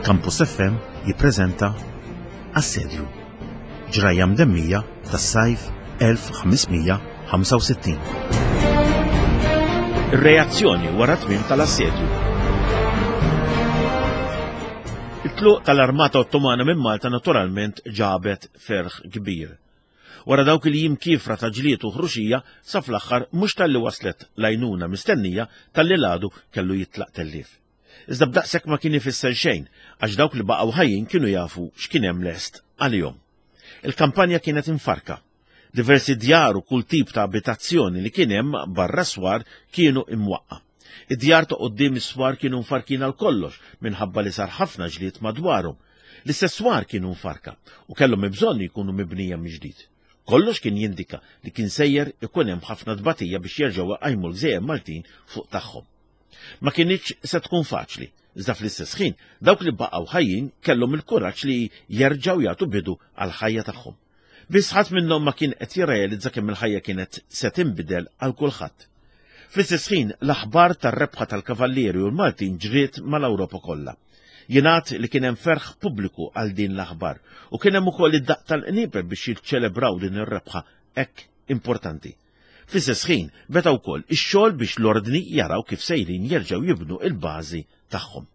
Campus FM jippreżenta Assedju. Ġrajja mdemmija tas-sajf 1565. Ir-reazzjoni wara tmiem tal-assedju. Il-tluq tal-Armata Ottomana minn Malta naturalment ġabet ferħ kbir. Wara dawk il-jiem kiefra ta' ġlied u ħruxija, sa fl-aħħar mhux talli waslet l-għajnuna mistennija talli l-għadu kellu jitlaq tellief. Iżda b'daqshekk ma kien ifisser xejn għax dawk li baqgħu ħajjin kienu jafu x'kien hemm lest għalihom. Il-kampanja kienet imfarrka. Diversi djar u kull tip ta' abitazzjoni li kien hemm barra s-swar kienu imwaqqa'. Id-djar ta' quddiem is-swar kienu mfarrkin għal kollox minħabba li sar ħafna ġlied madwarhom. L-istess swar kienu mfarrka u kellhom bżonn jkunu mibnija mill-ġdid. Kollox kien jindika li kien sejjer ikun hemm ħafna tbatija biex jerġgħu iqajmu l-gżejjer Maltin fuq tagħhom. Ma kinitx se tkun faċli, iżda fl-istess ħin dawk li baqgħu ħajjin kellhom il-kuraġġ li jerġgħu jagħtu bidu għall-ħajja tagħhom. Biss ħadd minnhom ma kien qed jirrealizza kemm il-ħajja kienet se tinbidel għal kulħadd. Fl-istess ħin, l-aħbar tar-rebħa tal-Kavallieri u l-Maltin ġriet mal-Ewropa kollha. Jingħad li kien hemm ferħ pubbliku għal din l-aħbar u kien hemm ukoll id-daqq tal-qniepen biex jiċċelebraw din ir-rebħa hekk importanti. Fl-istess ħin, beda wkoll ix-xogħol biex l-Ordni jaraw kif sejrin jerġgħu jibnu l-bażi tagħhom.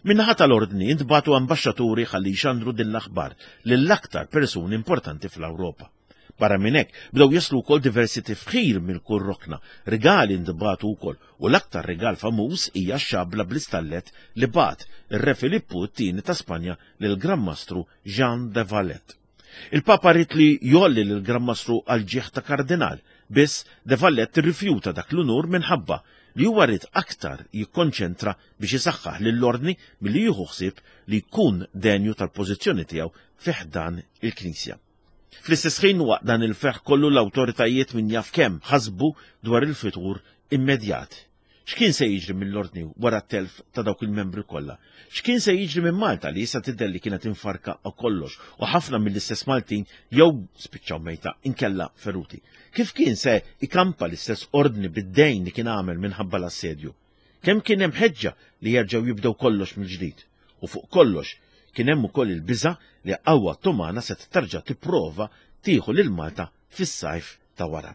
Min-naħa tal-Ordni ntbagħtu ambaxxaturi ħalli jxandru din l-aħbar lill-aktar persuni importanti fl-Ewropa. Barra minn hekk, bdew jaslu wkoll diversi tifħir minn kull rokna, rigali ntbagħtu wkoll u l-aktar rigal famuż hija x-xabla bl-istallet li bagħat ir-Re Filippu t-Tieni ta' Spanja lill-Gran Mastru Jean de Valette. Il-Papa ried li jgħolli lill-Gran Mastru għall-ġieħ ta' kardinal, biss de Valette irrifjuta dak l-unur minħabba li huwa ried aktar jikkonċentra biex isaħħaħ lill-Ordni milli jieħu ħsieb li jkun denju tal-pożizzjoni tiegħu fi ħdan il-Knisja. Fl-istess ħin waqt dan il-ferħ kollu l-awtoritajiet min jaf kemm ħasbu dwar il-futur immedjat. X'kien se jiġri mill-Ordni wara t-telf ta' dawk il-membri kollha? X'kien se jiġri minn Malta li issa tidher li kienet imfarrka għal kollox u ħafna mill-istess Maltin jew spiċċaw mejta inkella feruti? Kif kien se ikampa l-istess Ordni bid-dejn li kien għamel minħabba l-assedju? Kemm kien hemm ħeġġa li jerġgħu jibdew kollox mill-ġdid? U fuq kollox, kien hemm ukoll il-biża' li qawwa Ottomana se terġa' tipprova tieħu lil Malta fis-sajf ta' wara.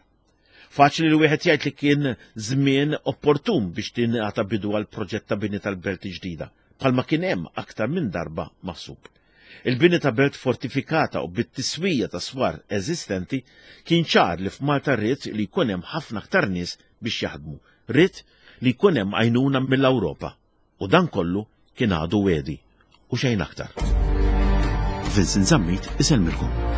Faċli li wieħed jgħid li kien żmien opportun biex tingħata bidu għal proġett ta' bini tal-belt ġdida, bħalma kien hemm aktar minn darba maħsub. Il-bini ta' belt fortifikata u bit-tiswija ta' swar eżistenti kien ċar li f'Malta ried li jkun hemm ħafna aktar nies biex jaħdmu, ried li jkun hemm għajnuna mill-Ewropa. U dan kollu kien għadu wegħdi u xejn aktar. Vincent Zammit isellmilkom.